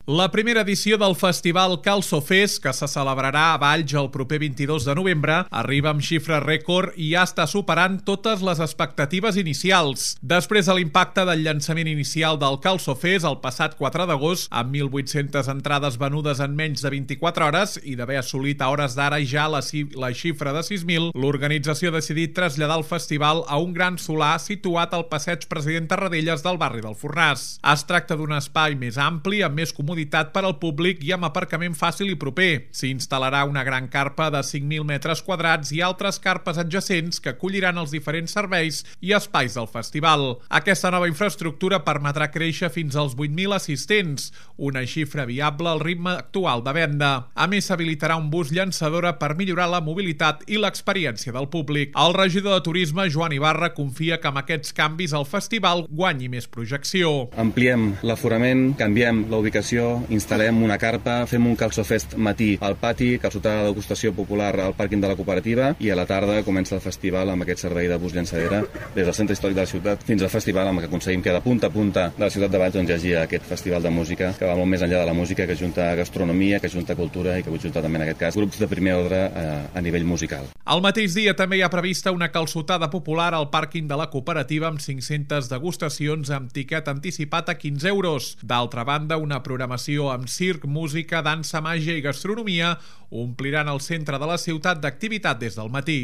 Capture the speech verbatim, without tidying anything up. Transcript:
La primera edició del festival Calçofest, que se celebrarà a Valls el proper vint-i-dos de novembre, arriba amb xifra rècord i ja està superant totes les expectatives inicials. Després de l'impacte del llançament inicial del Calçofest el passat quatre d'agost, amb mil vuit-centes entrades venudes en menys de vint-i-quatre hores i d'haver assolit a hores d'ara ja la, la xifra de sis mil, l'organització ha decidit traslladar el festival a un gran solar situat al passeig President Tarradellas del barri del Fornàs. Es tracta d'un espai més ampli, amb més comoditat per al públic i amb aparcament fàcil i proper. S'hi instal·larà una gran carpa de cinc mil metres quadrats i altres carpes adjacents que acolliran els diferents serveis i espais del festival. Aquesta nova infraestructura permetrà créixer fins als vuit mil assistents, una xifra viable al ritme actual de venda. A més, s'habilitarà un bus llançadora per millorar la mobilitat i l'experiència del públic. El regidor de Turisme, Joan Ibarra, confia que amb aquests canvis el festival guanyi més projecció. Ampliem l'aforament, canviem la ubicació, instal·lem una carpa, fem un calçofest matí al pati, calçotada de degustació popular al pàrquing de la cooperativa i a la tarda comença el festival amb aquest servei de bus llançadera des del centre històric de la ciutat fins al festival, amb què aconseguim que de punta a punta de la ciutat de Valls on hi hagi aquest festival de música que va molt més enllà de la música, que junta gastronomia, que junta cultura i que junta també en aquest cas grups de primer ordre a, a nivell musical. Al mateix dia també hi ha prevista una calçotada popular al pàrquing de la cooperativa amb cinc-centes degustacions amb tiquet anticipat a quinze euros. D'altra banda, una programació amb circ, música, dansa, màgia i gastronomia ompliran el centre de la ciutat d'activitat des del matí.